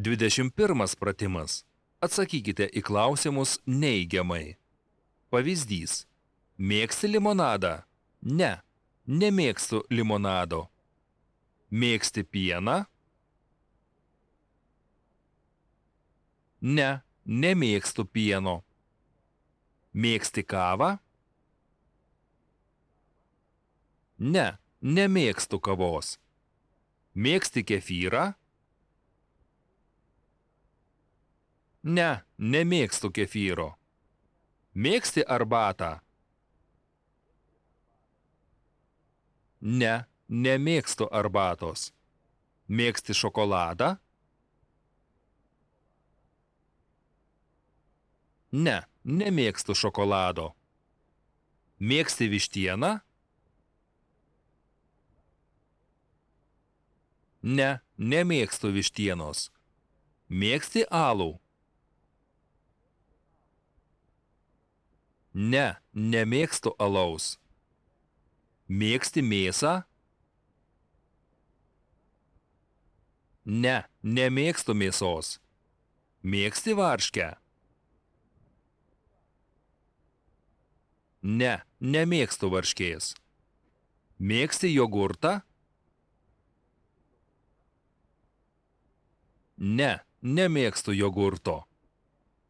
21 pratimas. Atsakykite į klausimus neigiamai. Pavyzdys. Mėgsti limonadą? Ne, nemėgstu limonado. Mėgsti pieną? Ne, nemėgstu pieno. Mėgsti kavą? Ne, nemėgstu kavos. Mėgsti kefyrą? Ne, nemėgstu kefyro. Mėgsti arbatą? Ne, nemėgstu arbatos. Mėgsti šokoladą? Ne, nemėgstu šokolado. Mėgsti vištieną? Ne, nemėgstu vištienos. Mėgsti alų? Ne, nemėgstu alaus. Mėgsti mėsą? Ne, nemėgstu mėsos. Mėgsti varškę? Ne, nemėgstu varškės. Mėgsti jogurtą? Ne, nemėgstu jogurto.